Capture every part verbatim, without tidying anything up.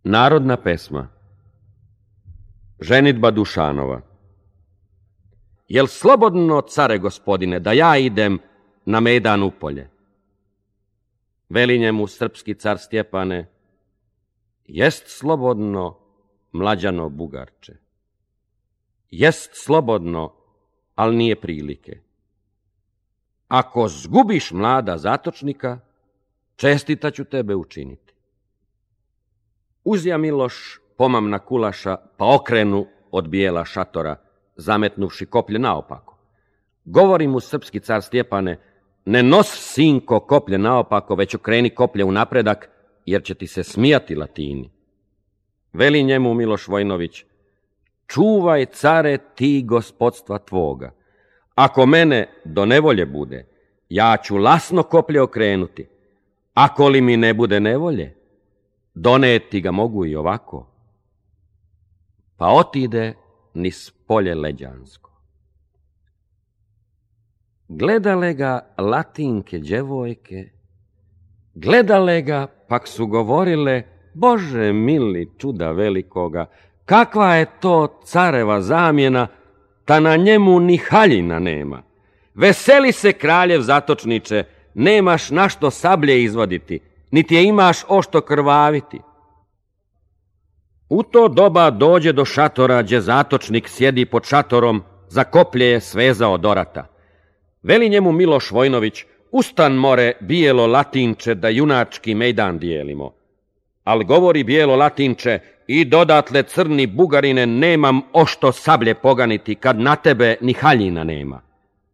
Narodna pesma. Ženidba Dušanova. Jel slobodno, care gospodine, da ja idem na mejdan u polje? Veli njemu srpski car Stjepane, jest slobodno, mlađano Bugarče. Jest slobodno, al nije prilike. Ako zgubiš mlada zatočnika, čestita ću tebe učiniti. Uzja Miloš pomamna kulaša, pa okrenu od bijela šatora, zametnuvši koplje naopako. Govori mu srpski car Stjepane, ne nos, sinko, koplje naopako, već okreni koplje u napredak, jer će ti se smijati Latini. Veli njemu Miloš Vojnović, čuvaj, care, ti gospodstva tvoga. Ako mene do nevolje bude, ja ću lasno koplje okrenuti. Ako li mi ne bude nevolje, doneti ga mogu i ovako. Pa otide niz polje leđansko. Gledale ga Latinke djevojke, gledale ga, pak su govorile, Bože mili, čuda velikoga, kakva je to careva zamjena, ta na njemu ni haljina nema. Veseli se kraljev zatočniče, nemaš na što sablje izvaditi, niti je imaš ošto krvaviti. U to doba dođe do šatora, gdje zatočnik sjedi pod šatorom, za koplje je svezao dorata. Veli njemu Miloš Vojnović, ustan more, bijelo Latinče, da junački mejdan dijelimo. Al govori bijelo Latinče, i dodatle crni Bugarine, nemam ošto sablje poganiti, kad na tebe ni haljina nema.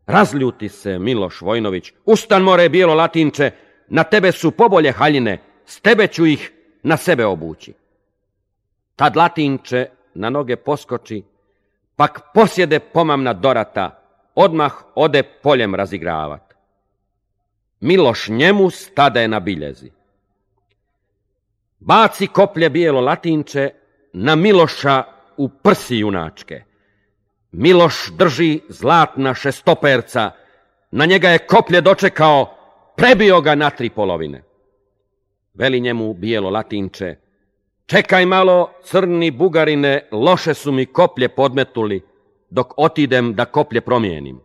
Razljuti se Miloš Vojnović, ustan more, bijelo Latinče, na tebe su pobolje haljine, s tebe ću ih na sebe obući. Tad Latinče na noge poskoči, pak posjede pomamna dorata, odmah ode poljem razigravat. Miloš njemu stade na biljezi. Baci koplje bijelo Latinče na Miloša u prsi junačke. Miloš drži zlatna šestoperca, na njega je koplje dočekao, prebio ga na tri polovine. Veli njemu bijelo Latinče, čekaj malo, crni Bugarine, loše su mi koplje podmetuli, dok otidem da koplje promijenim.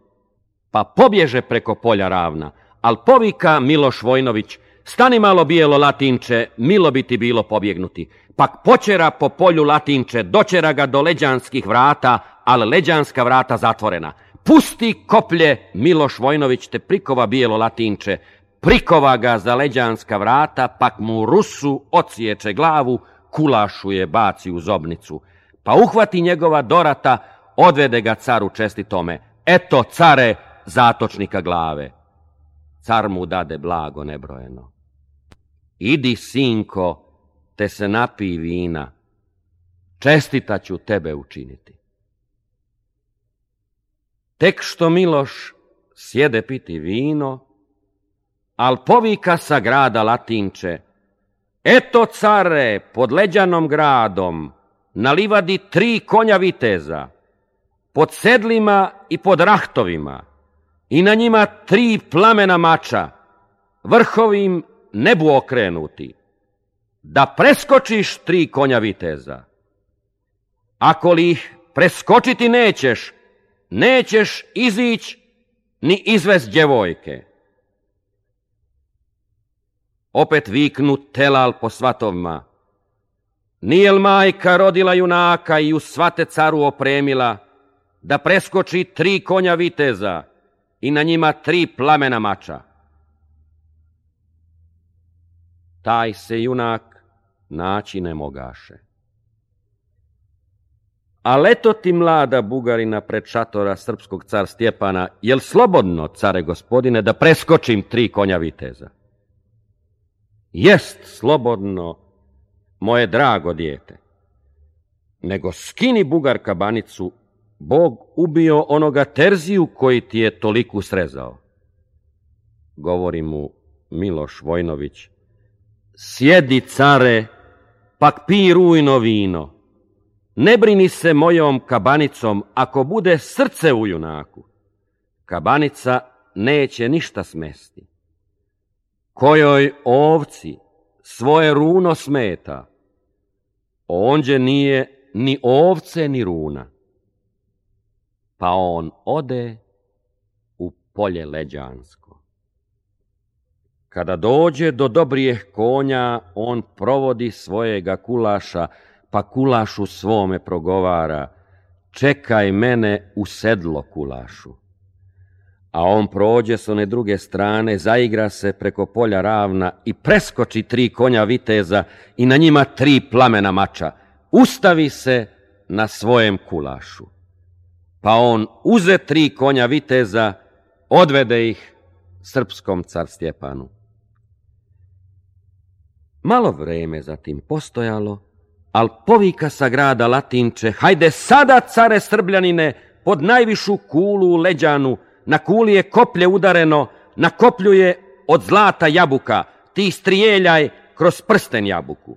Pa pobježe preko polja ravna, al povika Miloš Vojnović, stani malo bijelo Latinče, milo bi ti bilo pobjegnuti. Pak počera po polju Latinče, dočera ga do leđanskih vrata, ali leđanska vrata zatvorena. Pusti koplje, Miloš Vojnović te prikova bijelo Latinče, prikova ga za leđanska vrata, pak mu Rusu odsječe glavu, kulašu je baci u zobnicu. Pa uhvati njegova dorata, odvede ga caru čestitome. Eto, care, zatočnika glave. Car mu dade blago nebrojeno. Idi, sinko, te se napij vina. Čestita ću tebe učiniti. Tek što Miloš sjede piti vino, al povika sa grada Latinče, eto, care, pod leđanom gradom, na livadi tri konja viteza, pod sedlima i pod rahtovima, i na njima tri plamena mača, vrhovim nebu okrenuti, da preskočiš tri konja viteza. Ako li ih preskočiti nećeš, nećeš izić ni izvest djevojke. Opet viknu telal po svatovima, nijel majka rodila junaka i u svate caru opremila, da preskoči tri konja viteza i na njima tri plamena mača. Taj se junak naći ne mogaše. A leto ti mlada Bugarina pred šatora srpskog car Stjepana, jel slobodno, care gospodine, da preskočim tri konja viteza? Jest slobodno, moje drago dijete. Nego skini Bugar kabanicu, Bog ubio onoga Terziju koji ti je toliku srezao. Govori mu Miloš Vojnović, sjedi, care, pak pij rujno vino. Ne brini se mojom kabanicom, ako bude srce u junaku. Kabanica neće ništa smesti. Kojoj ovci svoje runo smeta, Onđe nije ni ovce ni runa. Pa on ode u polje leđansko. Kada dođe do dobrijeh konja, on provodi svojega kulaša, pa kulašu svome progovara: čekaj mene u sedlo, kulašu. A on prođe s one druge strane, zaigra se preko polja ravna i preskoči tri konja viteza i na njima tri plamena mača. Ustavi se na svojem kulašu. Pa on uze tri konja viteza, odvede ih srpskom car Stjepanu. Malo vreme zatim postojalo, al povika sa grada Latinče: hajde sada, care Srbljanine, pod najvišu kulu u leđanu, na kuli je koplje udareno, na koplju je od zlata jabuka, ti strijeljaj kroz prsten jabuku.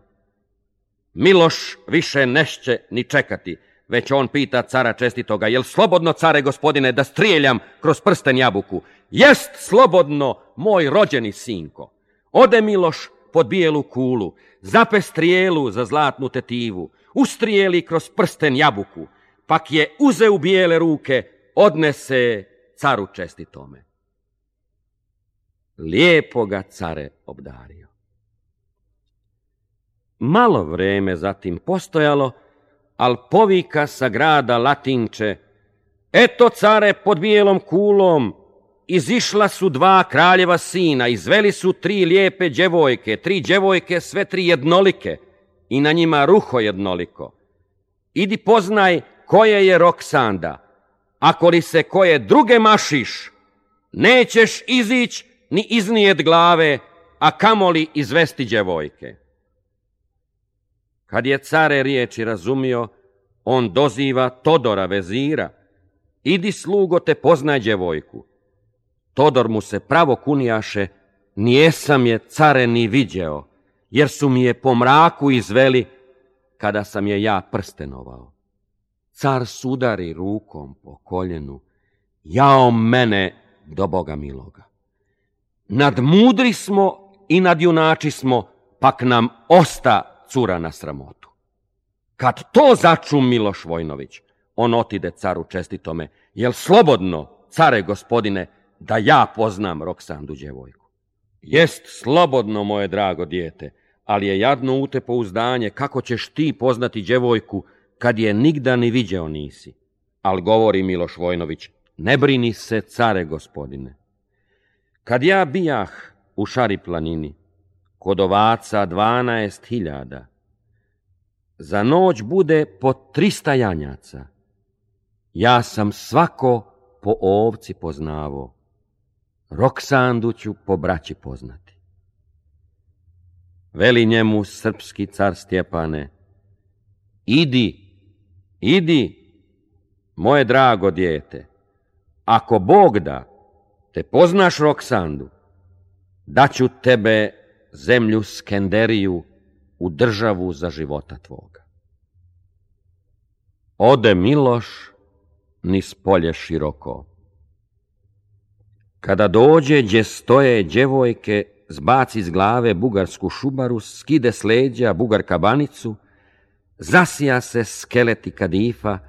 Miloš više nešće ni čekati, već on pita cara čestitoga: jel slobodno, care gospodine, da strijeljam kroz prsten jabuku? Jest slobodno, moj rođeni sinko. Ode Miloš pod bijelu kulu, zape strijelu za zlatnu tetivu, ustrijeli kroz prsten jabuku, pak je uze u bijele ruke, odnese caru čestitome. Lijepo ga care obdario. Malo vreme zatim postojalo, al povika sa grada Latinče: eto, care, pod bijelom kulom izišla su dva kraljeva sina, izveli su tri lijepe djevojke, tri djevojke sve tri jednolike i na njima ruho jednoliko. Idi poznaj koje je Roksanda, ako li se koje druge mašiš, nećeš izić ni iznijet glave, a kamoli izvesti djevojke. Kad je care riječi razumio, on doziva Todora vezira: idi, slugo, te poznaj djevojku. Todor mu se pravo kunijaše: nijesam je, care, ni viđeo, jer su mi je po mraku izveli kada sam je ja prstenovao. Car sudari rukom po koljenu: jao mene do Boga miloga. Nadmudri smo i nadjunači smo, pak nam osta cura na sramotu. Kad to začu Miloš Vojnović, on otide caru čestitome: jel slobodno, care gospodine, da ja poznam Roksandu djevojku? Jest slobodno, moje drago dijete, ali je jadno u te pouzdanje kako ćeš ti poznati djevojku kad je nigda ni viđeo nisi. Al govori Miloš Vojnović: ne brini se, care gospodine. Kad ja bijah u Šari planini, kod ovaca dvanaest hiljada, za noć bude po trista janjaca. Ja sam svako po ovci poznavo, Roksandu ću po braći poznati. Veli njemu srpski car Stjepane: idi, idi, moje drago dijete, ako Bog da te poznaš Roksandu, daću tebe zemlju Skenderiju u državu za života tvoga. Ode Miloš niz polje široko. Kada dođe gdje stoje djevojke, zbaci iz glave bugarsku šubaru, skide s leđa bugar kabanicu, zasija se skeleti kadifa,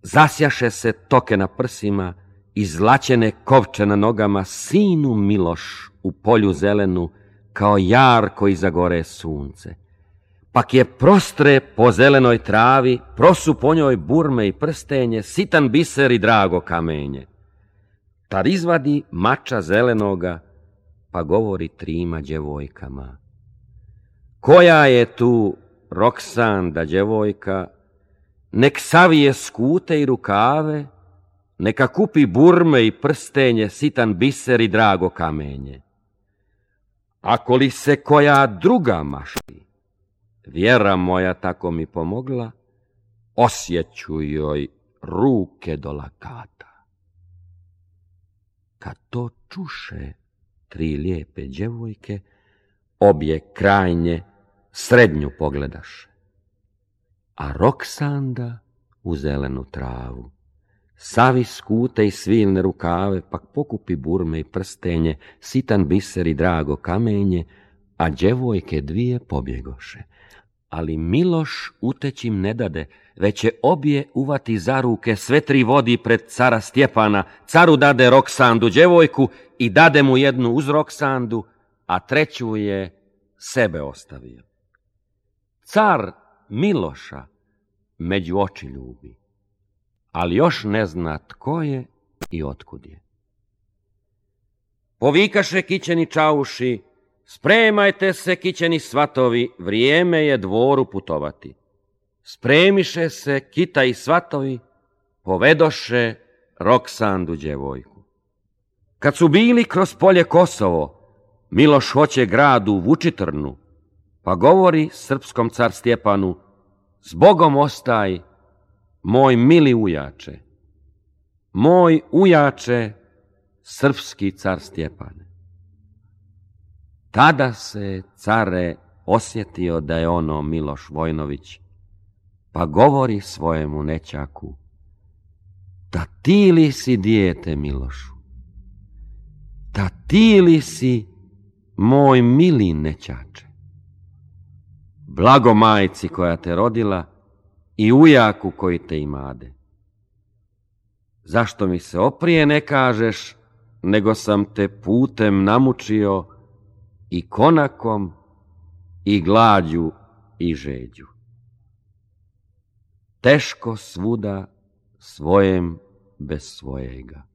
zasjaše se toke na prsima, izlačene kovče na nogama, sinu Miloš u polju zelenu, kao jarko iza gore sunce. Pak je prostre po zelenoj travi, prosu po njoj burme i prstenje, sitan biser i drago kamenje. Tad izvadi mača zelenoga, pa govori trima djevojkama: koja je tu Roksanda djevojka, nek savije skute i rukave, neka kupi burme i prstenje, sitan biser i drago kamenje. Ako li se koja druga mašti, vjera moja tako mi pomogla, osjeću joj ruke do lakata. Kad to čuše tri lijepe djevojke, obje krajnje srednju pogledaše, a Roksanda u zelenu travu. Savi skute i svilne rukave, pak pokupi burme i prstenje, sitan biser i drago kamenje, a djevojke dvije pobjegoše. Ali Miloš utećim ne dade, već će obje uvati za ruke, sve tri vodi pred cara Stjepana, caru dade Roksandu djevojku i dade mu jednu uz Roksandu, a treću je sebe ostavio. Car Miloša među oči ljubi, ali još ne zna tko je i otkud je. Povikaše kićeni čauši, spremajte se kićeni svatovi, vrijeme je dvoru putovati. Spremiše se kita i svatovi, povedoše Roksandu djevojku. Kad su bili kroz polje Kosovo, Miloš hoće gradu Vučitrnu, pa govori srpskom car Stjepanu: "Zbogom ostaj, moj mili ujače, moj ujače, srpski car Stjepane." Tada se care osjetio da je ono Miloš Vojnović, pa govori svojemu nećaku: "Da ti li si dijete Milošu? Da ti li si moj mili nećače? Blago majci koja te rodila i ujaku koji te imade. Zašto mi se oprije ne kažeš, nego sam te putem namučio i konakom i glađu i žeđu. Teško svuda svojem bez svojega."